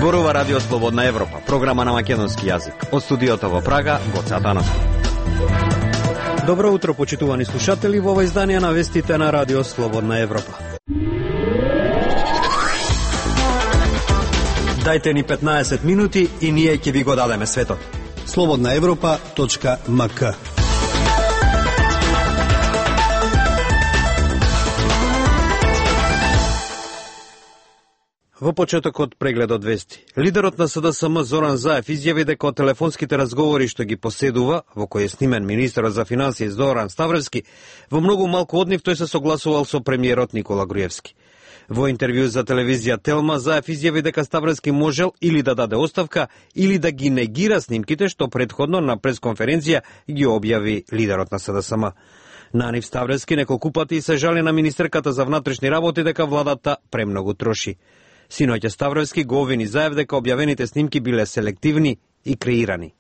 Зборува Радио Слободна Европа, програма на македонски јазик. Од студиото во Прага, Гоце Атанасов. Добро утро, почитувани слушатели, во ова издание на вестите на Радио Слободна Европа. Дајте ни 15 минути и ние ќе ви го дадеме светот. slobodnaevropa.mk. Во почетокот прегледот вести. Лидерот на СДСМ Зоран Заев изјави дека од телефонските разговори што ги поседува, во кој е снимен министерот за финансии Зоран Ставревски, во многу малку од нив тој се согласувал со премиерот Никола Груевски. Во интервју за телевизија Телма, Заев изјави дека Ставревски можел или да даде оставка, или да ги негира снимките што претходно на пресконференција ги објави лидерот на СДСМ. На нив Ставревски неколку пати се жали на министерката за внатрешни работи дека владата премногу троши. Синоќа Ставревски го обвини Заев дека објавените снимки биле селективни и креирани.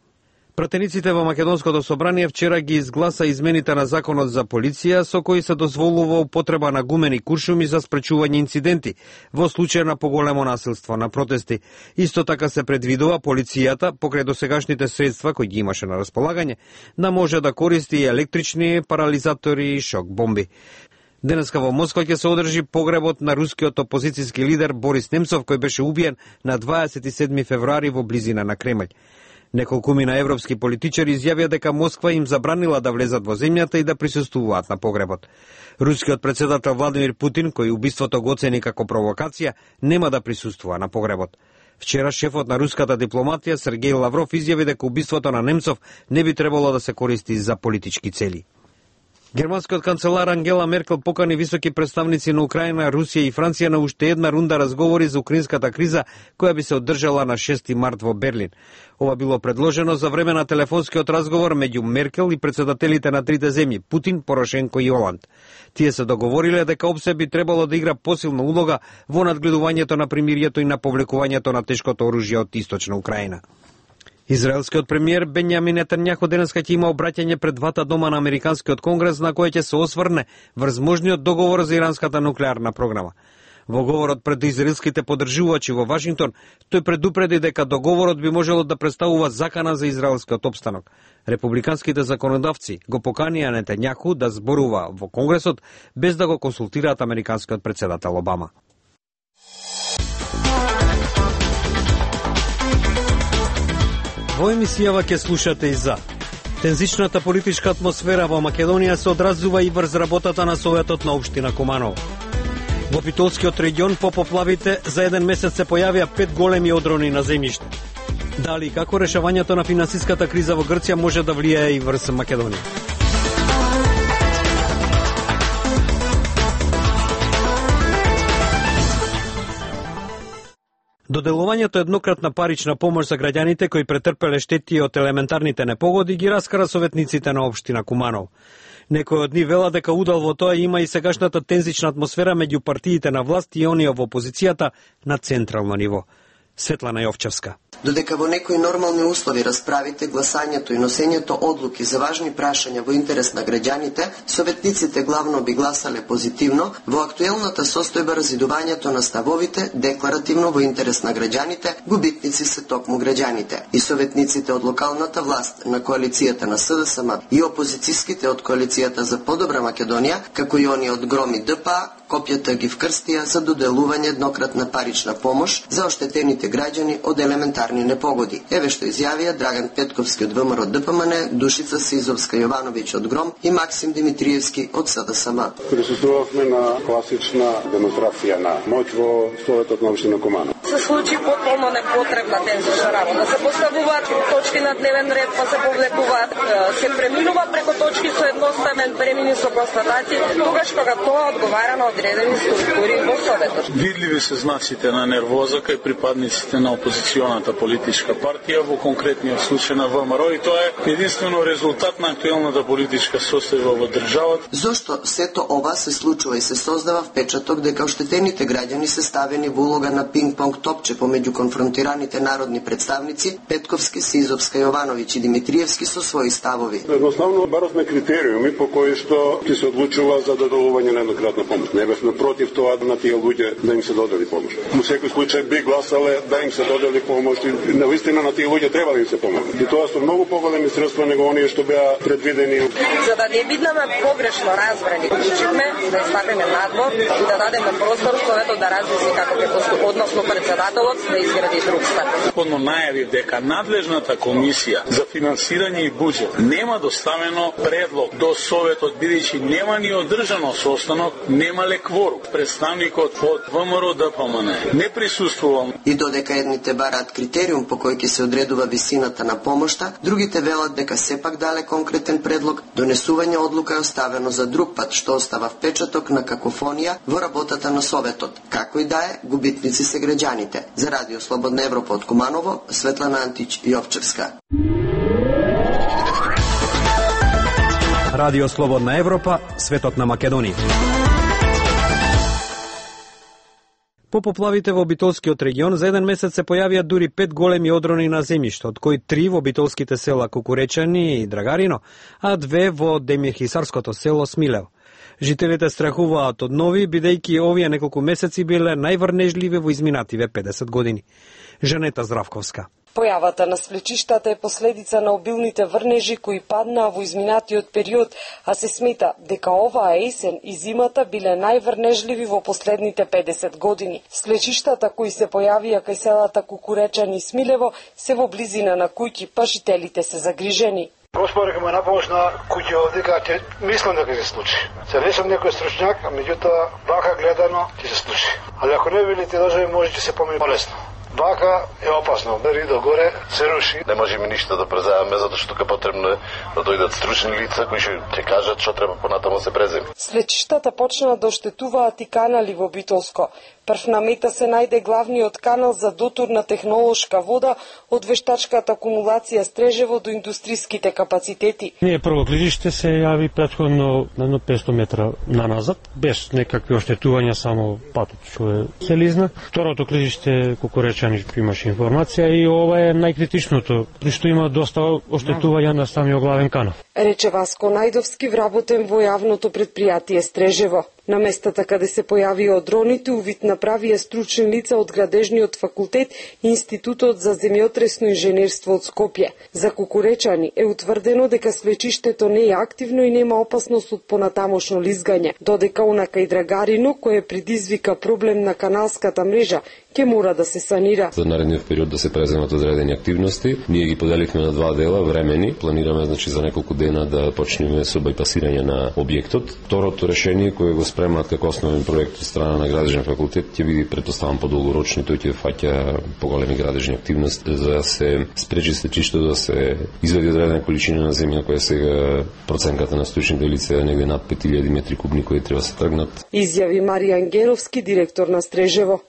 Пратениците во Македонското собрание вчера ги изгласа измените на законот за полиција со кои се дозволува употреба на гумени куршуми за спречување инциденти во случај на поголемо насилство на протести. Исто така се предвидува полицијата, покрај досегашните средства кои ги имаше на располагање, да може да користи електрични парализатори и шок бомби. Денеска во Москва ќе се одржи погребот на рускиот опозицијски лидер Борис Немцов, кој беше убиен на 27 февруари во близина на Кремљ. Неколкумина европски политичари изјавија дека Москва им забранила да влезат во земјата и да присуствуваат на погребот. Рускиот претседател Владимир Путин, кој убиството го оцени како провокација, нема да присуствува на погребот. Вчера шефот на руската дипломатија Сергеј Лавров изјави дека убиството на Немцов не би требало да се користи за политички цели. Германскиот канцелар Ангела Меркел покани високи представници на Украина, Русија и Франција на уште една рунда разговори за украинската криза, која би се одржала на 6 март во Берлин. Ова било предложено за време на телефонскиот разговор меѓу Меркел и председателите на трите земји, Путин, Порошенко и Оланд. Тие се договориле дека ОПСЕ би требало да игра посилна улога во надгледувањето на примирието и на повлекувањето на тешкото оружје од источна Украина. Израелскиот премиер Бенјамин Нетањаху денеска ќе има обраќање пред двата дома на Американскиот конгрес на кој ќе се осврне врз можниот договор за иранската нуклеарна програма. Во говорот пред израелските поддржувачи во Вашингтон, тој предупреди дека договорот би можело да представува закана за израелскиот опстанок. Републиканските законодавци го поканија Нетањаху да зборува во Конгресот без да го консултираат американскиот претседател Обама. Во емисијава ќе слушате и за тензичната политичка атмосфера во Македонија се одразува и врз работата на Советот на општина Куманово. Во Битолскиот регион по поплавите за еден месец се појавија 5 големи одрони на земјиште. Дали и како решавањето на финансиската криза во Грција може да влијае и врз Македонија? Доделувањето еднократна парична помош за граѓаните кои претрпеле штети од елементарните непогоди ги раскара советниците на општина Куманово. Некои од нив велат дека удел во тоа има и сегашната тензична атмосфера меѓу партиите на власт и оние во опозицијата на централно ниво. Светлана Јовчевска. Додека во некои нормални услови расправите, гласањето и носењето одлуки за важни прашања во интерес на граѓаните, советниците главно би гласале позитивно, во актуелната состојба разидувањето на ставовите, декларативно во интерес на граѓаните, губитници се токму граѓаните. И советниците од локалната власт на коалицијата на СДСМ и опозицијските од коалицијата за подобра Македонија, како и оние од ГРОМ и ДПА, копјата ги вкрстија за доделување еднократна парична помош за оштетените граѓани од елементарни непогоди. Еве што изјавија Драган Петковски од ВМРО ДПМН, Душица Сизовска Јовановиќ од ГРОМ и Максим Димитриевски од СДСМ. Присуствувавме на класична демонстрација на моќ во Советот на општина Куманово. Се случи потполно непотребна тензична работа. Се поставуваат точки на дневен ред, па се повлекуваат, се преминува преко точки со едноставен премини со констатации, тогаш кога тоа одговара на одредени структури во Советот. Видливи се знаците на нервоза кај припадниците на опозиционата политичка партија, во конкретниот случај на ВМРО, и тоа е единствено резултат на актуелната политичка состојба во државата. Зошто сето ова се случува и се создава впечаток дека оштетените граѓани се ставени во улога на пинг-понг топче помеѓу конфронтираните народни представници Петковски, Сизовска, Јовановиќ и Димитриевски со своји ставови. Едноставно баравме критериуми по кои што ќе се одлучува за додолување на еднократна помош. Не бевме против тоа на тие луѓе да им се додели помош. Во секој случај би гласале да им се додели помош и навистина на тие луѓе треба да им се помогне. И тоа со многу поголеми средства него оние што беа предвидени. За да не бидеме погрешно разбрани, одлучивме да изтакнеме надвор и да дадеме простор Советот да размисли како ќе постапи, односно председателот да изгради друг стар. Подно најави дека надлежната комисија за финансирање и буџет нема доставено предлог до Советот, бидејќи нема ни одржано состанок, немале кворум. Представникот од ВМРО ДПМН не присуствувал. И додека едните бараат критериум по кој ќе се одредува висината на помошта, другите велат дека сепак дале конкретен предлог, донесување одлука е оставено за друг пат, што остава впечаток на какофонија во работата на Советот. Како и да е, губитници се граѓаните. За Радио Слободна Европа од Куманово, Светлана Антич Јовчевска. Радио Слободна Европа, светот на Македонија. По поплавите во Битолскиот регион за еден месец се појавија дури 5 големи одрони на земјиште, од кои 3 во битолските села Кукуречани и Драгарино, а 2 во Демирхисарското село Смилево. Жителите страхуваат од нови, бидејќи овие неколку месеци биле најврнежливи во изминативе 50 години. Жанета Здравковска. Појавата на свлечиштата е последица на обилните врнежи кои паднаа во изминатиот период, а се смета дека оваа есен и зимата биле најврнежливи во последните 50 години. Свлечиштата кои се појавија кај селата Кукуречани и Смилево се во близина на куќи, па жителите се загрижени. Господ ме напомош на куќи овде, дека мислам дека се случи. Се не сум некој стручњак, а меѓутоа вака гледано ќе се случи. Ali ако не били тие држави, може ќе се помени полесно. Вака е опасно, бери догоре, се руши. Не можеме ништо да преземеме, затоа што тука потребно е да дојдат стручни лица кои ќе кажат што треба понатаму се преземе. Свлечиштата почнаа да оштетуваат и канали во Битолско. Прв на мета се најде главниот канал за дотурна технолошка вода од вештачката акумулација Стрежево до индустриските капацитети. Ние прво клижиште се јави претходно на 500 метра наназад, без некакви оштетувања, само патот што е селизна. Второто клижиште Кукуречани имаше информација и ова е најкритичното, при што има доста оштетувања на самиот главен канал. Рече Васко Најдовски, вработен во јавното предпријатие Стрежево. На местата каде се појавија дроните, увид направија стручни лица од Градежниот факултет и Институтот за земјотресно инженерство од Скопје. За Кукуречани е утврдено дека свлечиштето не е активно и нема опасност од понатамошно лизгање, додека онака и Драгарино, кое предизвика проблем на каналската мрежа, ќе мора да се санира. За наредниот период да се преземат одредени активности. Ние ги поделивме на 2 дела времени. Планираме за неколку дена да почнеме со бајпасирање на објектот. Второто решение кое го спремаат како основен проект од страна на Градежен факултет ќе биде претпоставам подолгорочни, тој ќе фаќа поголеми градежни активности за да се спречи свлечиштето да се изведи одредена количина на земја која сега проценката на стручните лица е негде над 5000 метри кубни кои треба се тргнат. Изјави Маријан Геровски, директор на Стрежево.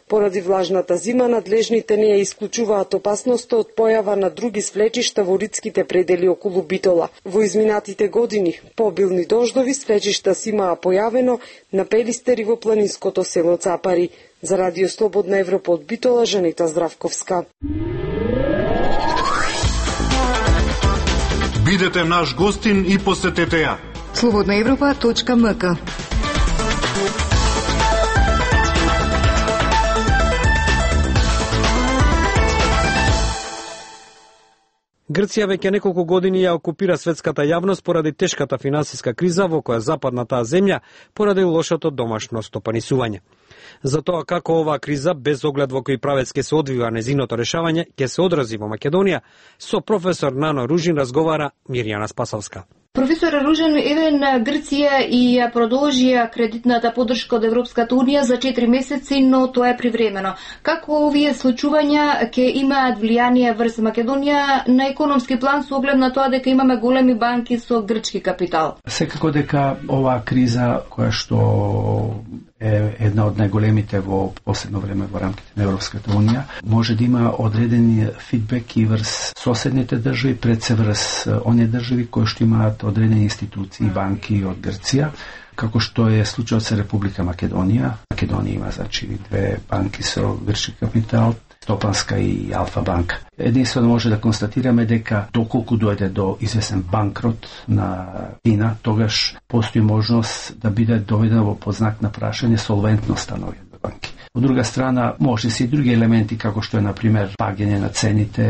Поради влажната зима, надлежните не ја исклучуваат опасноста од појава на други свлечишта во ридските предели околу Битола. Во изминатите години, по обилни дождови, свлечишта си имаа појавено на Пелистер и во планинското село Цапари. За Радио Слободна Европа од Битола, Жанета Здравковска. Бидете наш гостин и посетете ја. slobodnaevropa.mk. Грција веќе неколку години ја окупира светската јавност поради тешката финансиска криза во која западна таа земја поради лошото домашно стопанисување. За тоа како оваа криза, без оглед во кој правец ќе се одвива незиното решавање, ќе се одрази во Македонија, со професор Нано Ружин разговара Мирјана Спасовска. Професор Ружен, еве Грција и ја продолжија кредитната поддршка од Европската Унија за 4 месеци, но тоа е привремено. Како овие случувања ќе имаат влијание врз Македонија на економски план со оглед на тоа дека имаме големи банки со грчки капитал? Секако дека оваа криза која што е една од најголемите во последно време во рамките на Европската Унија, може да има одредени фидбек и врз соседните држави, пред се врз оние држави кои што имаат одредени институции и банки од Грција, како што е случајот со Република Македонија. Македонија има две банки со грчки капитал, Стопанска и Алфа банка. Единствено може да констатираме дека доколку дојде до известен банкрот на Кина, тогаш постои можност да биде доведено во познак на прашање солвентноста на овие банки. Од друга страна, може се и други елементи, како што е, например, паѓање на цените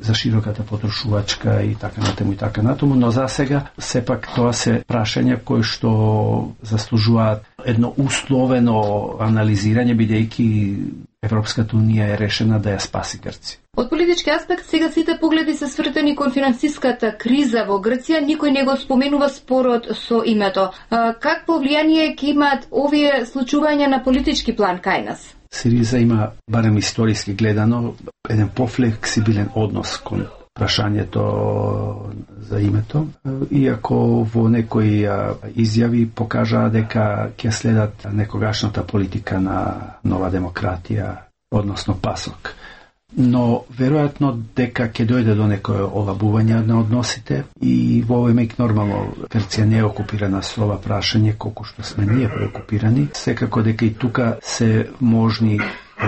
за широката потрошувачка и така натаму, но за сега, сепак, тоа се прашања кои што заслужуваат едно условено анализирање, бидејќи Европската унија е решена да ја спаси Грција. Од политички аспект, сега сите погледи се свртени кон финансиската криза во Грција, никој не го споменува спорот со името. Какво влијание ќе имаат овие случувања на политички план кај нас? Сириза има, барем историски гледано, еден пофлексибилен однос кон прашањето за името, иако во некои изјави покажаа дека ќе следат некогашната политика на Нова демократија, односно ПАСОК. Но веројатно дека ќе дојде до некое олабување на односите и во овој миг нормално Грција не е окупирана со ова прашање колку што сме ние преокупирани. Секако дека и тука се можни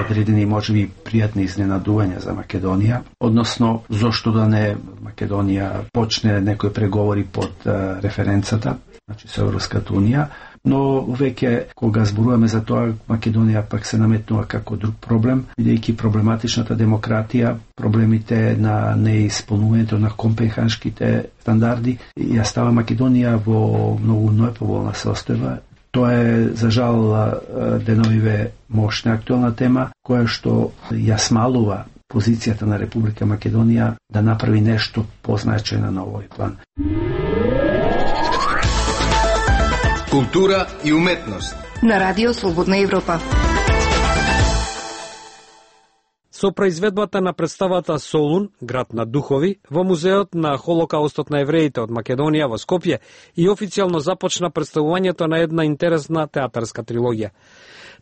одредени можеби пријатни изненадувања за Македонија, односно зошто да не Македонија почне некои преговори под референцата, значи со Европската унија, но веќе кога зборуваме за тоа, Македонија пак се наметнува како друг проблем, бидејќи проблематичната демократија, проблемите на неисполнувањето на компенханските стандарди, ја става Македонија во многу неповолна состојба. Тоа е, за жал, деновиве мощна актуелна тема, која што ја смалува позицијата на Република Македонија да направи нешто позначајно на овој план. Култура и уметност на Радио Слободна Европа. Со произведбата на представата Солун, град на духови, во Музеот на Холокаустот на евреите од Македонија во Скопје и официјално започна представувањето на една интересна театарска трилогија.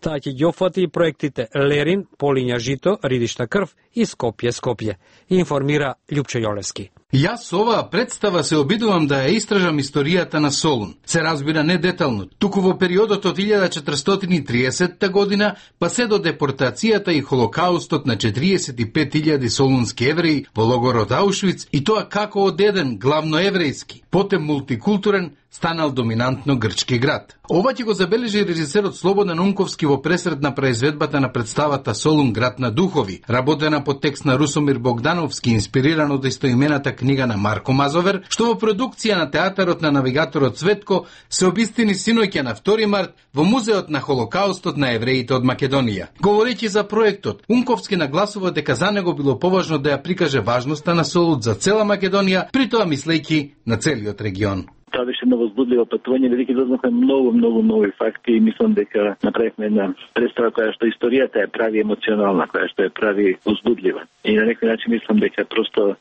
Таа ќе ги опфати и проектите Лерин, Полиња жито, Ридишта крв и Скопје, информира Љупчо Јолевски. Јас со оваа представа се обидувам да ја истражам историјата на Солун. Се разбира не детално, туку во периодот од 1430 година па се до депортацијата и Холокаустот на 45.000 солунски евреи во логорот Аушвиц, и тоа како од еден главно еврејски, потем мултикултурен, станал доминантно грчки град. Ова ќе го забележи режисерот Слободан Унковски во пресред на произведбата на представата Солун, град на духови, работена по текст на Русомир Богдановски, инспириран од истоимената книга на Марко Мазовер, што во продукција на театарот на навигаторот Цветко се обистини синоќа на 2 март во Музеот на Холокаустот на евреите од Македонија. Говорејќи за проектот, Унковски нагласува дека за него било поважно да ја прикаже важноста на Солун за цела Македонија, при тоа мислејќи на целиот регион. Тоа беше едно возбудливо патување, бидејќи дознавме многу нови факти и мислам дека направивме една представа која што историјата ја прави емоционална, која што ја прави возбудлива. И на некој начин мислам дека просто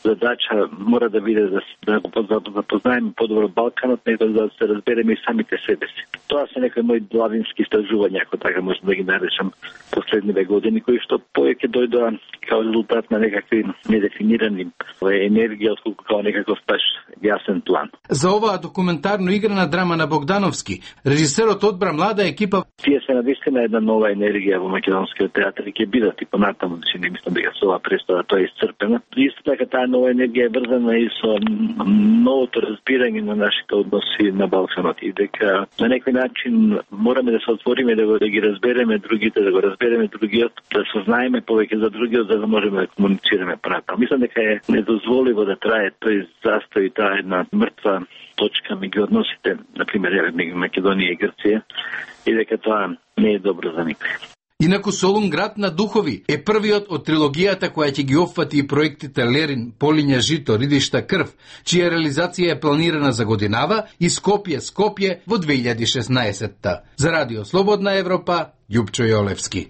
задача мора да биде да го запознаеме подобро Балканот, него да се разбереме и самите себе си. Тоа се некои мои главински истражувања, ако така можам да ги наречам, последниве години, кои што повеќе дојдоа као резултат на некакви недефинирани енергија, отколку као некаков баш јасен план. За оваа документарно играна драма на Богдановски, режисерот одбра млада екипа. Тие се навистина една нова енергија во македонскиот театар и ќе бидат и понатаму, значи не мислам дека со оваа представа тоа е исцрпена. Исто така таа нова енергија е врзана и со новото разбирање на нашите односи на Балканот и дека на некој начин мораме да се отвориме да ги разбереме другите, да го разбереме другиот, да сознаеме повеќе за другиот, за да можеме да комуницираме понатаму. Мислам дека е недозволиво да трае тој застој, таа една мртва точка меѓу односите, например, меѓу Македонија и Грција, и дека тоа не е добро за никој. Инаку Солун, град на духови, е првиот од трилогијата која ќе ги опфати и проектите Лерин, Полиња жито, Ридишта крв, чија реализација е планирана за годинава, и Скопје во 2016-та. За Радио Слободна Европа, Љупчо Јолевски.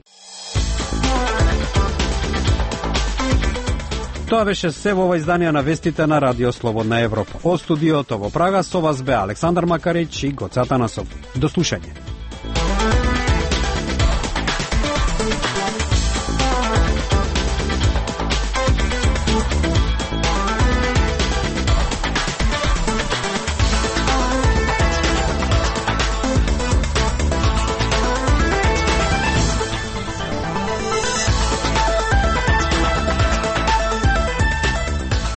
Тоа беше се во ова издание на вестите на Радио Слободна Европа. Од студиото во Прага со вас бе Александар Макарич и Гоце Атанасов. До слушање.